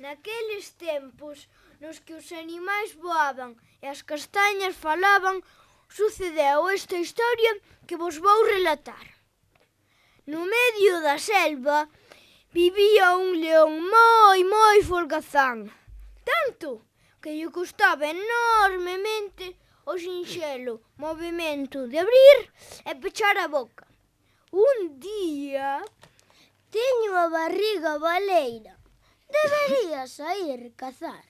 Naqueles tempos nos que os animais voaban e as castañas falaban, sucedeu esta historia que vos vou relatar. No medio da selva vivía un león moi folgazán, tanto que lle custaba enormemente o sinxelo movimento de abrir e pechar a boca. Un día: teño a barriga baleira, debería sair cazar,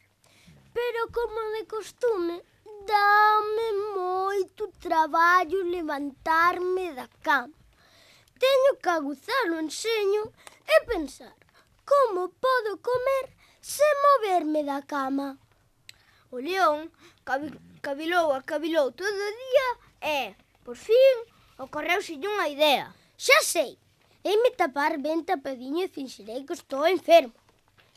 pero como de costume, dáme moito traballo levantarme da cama. Teño que aguzar o enxeño e pensar como podo comer sen moverme da cama. O león cavilou todo o día e, por fin, ocorreuselle unha idea. Xa sei, heime tapar ben tapadiño e finxirei que estou enfermo.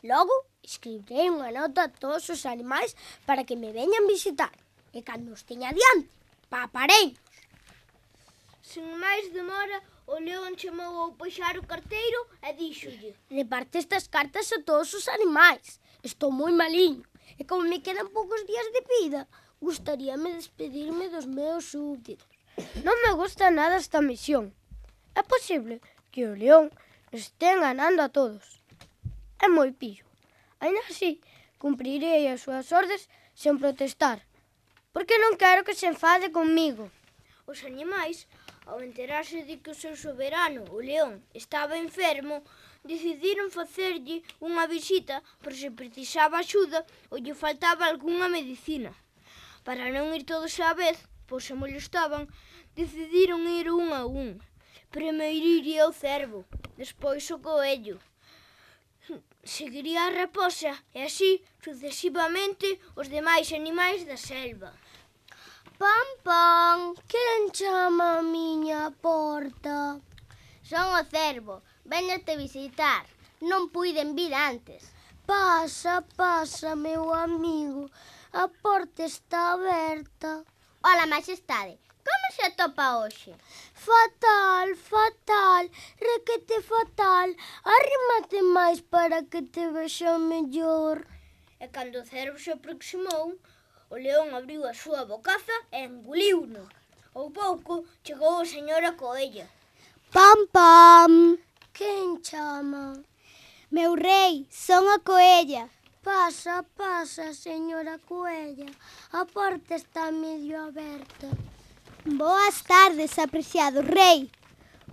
Logo, escribirei unha nota a todos os animais para que me veñan visitar. E cando os teña diante, papareinos. Sen máis demora, o león chamou ao paxaro carteiro e díxolle: reparte estas cartas a todos os animais. Estou moi maliño e como me quedan poucos días de vida, gustaríame despedirme dos meus súbditos. Non me gusta nada esta misión. É posible que o león nos estea enganando a todos. É moi pillo. Ainda así, cumprirei as súas ordes sen protestar, porque non quero que se enfade comigo. Os animais, ao enterarse de que o seu soberano, o león, estaba enfermo, decidiron facerlle unha visita por se precisaba axuda ou lle faltaba algunha medicina. Para non ir todos á vez, pois se molestaban, decidiron ir un a un. Primeiro iría o cervo, despois o coello, seguiría a raposa e así sucesivamente os demais animais da selva. Pam, pam, quen chama a miña porta? Son o cervo, véñote visitar, non puiden vir antes. Pasa, pasa, meu amigo, a porta está aberta. Ola, majestade, como se atopa hoxe? Fatal, fatal, requete fatal, arrímate máis para que te vexa mellor. E cando o cervo se aproximou, o león abriu a súa bocaza e enguliuno. Ao pouco chegou a señora coella. Pam, pam, quen chama? Meu rei, son a coella. Pasa, pasa, señora coella, a porta está medio aberta. Boas tardes, apreciado rei.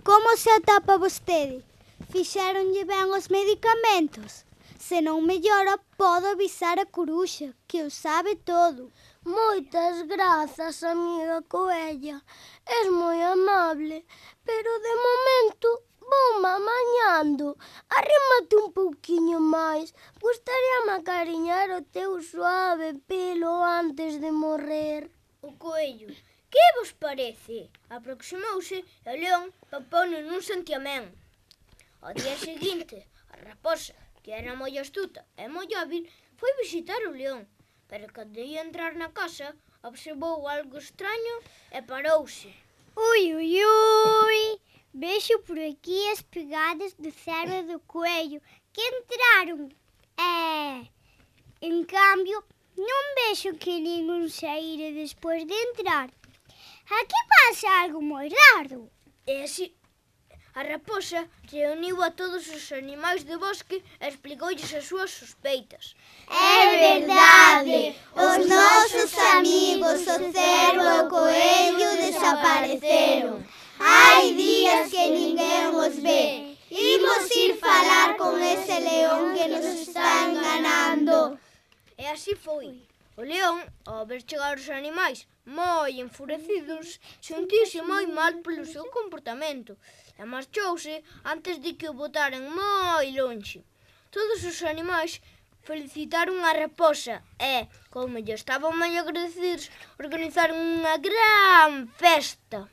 Como se atapa vostede? Fixéronlle ben os medicamentos? Se non mellora, podo avisar a coruxa, que o sabe todo. Moitas grazas, amiga coella. Es moi amable, pero de momento voume amañando. Arrímate un pouquiño máis. Gustaríame acariñar o teu suave pelo antes de morrer. O coello: que vos parece? Aproximouse e o león papouno nun santiamén. Ao día seguinte, a raposa, que era moi astuta e moi hábil, foi visitar o león, pero cando ia entrar na casa, observou algo extraño e parouse. Ui, ui, ui, vexo por aquí as pegadas do cervo e do coello que entraron. En cambio, non vexo que ningún saíre despois de entrar. Aquí pasa algo moi raro. E así, a raposa reuniu a todos os animais do bosque e explicoulles as súas sospeitas. É verdade, os nosos amigos, o cervo e o coello, desapareceron. Hai días que ninguén os ve. Imos ir falar con ese león que nos está enganando. E así foi. O león, ao ver chegar os animais moi enfurecidos, sentiuse moi mal polo seu comportamento e marchouse antes de que o botaran moi lonxe. Todos os animais felicitaron a raposa e, como lle estaban moi agradecidos, organizaron unha gran festa.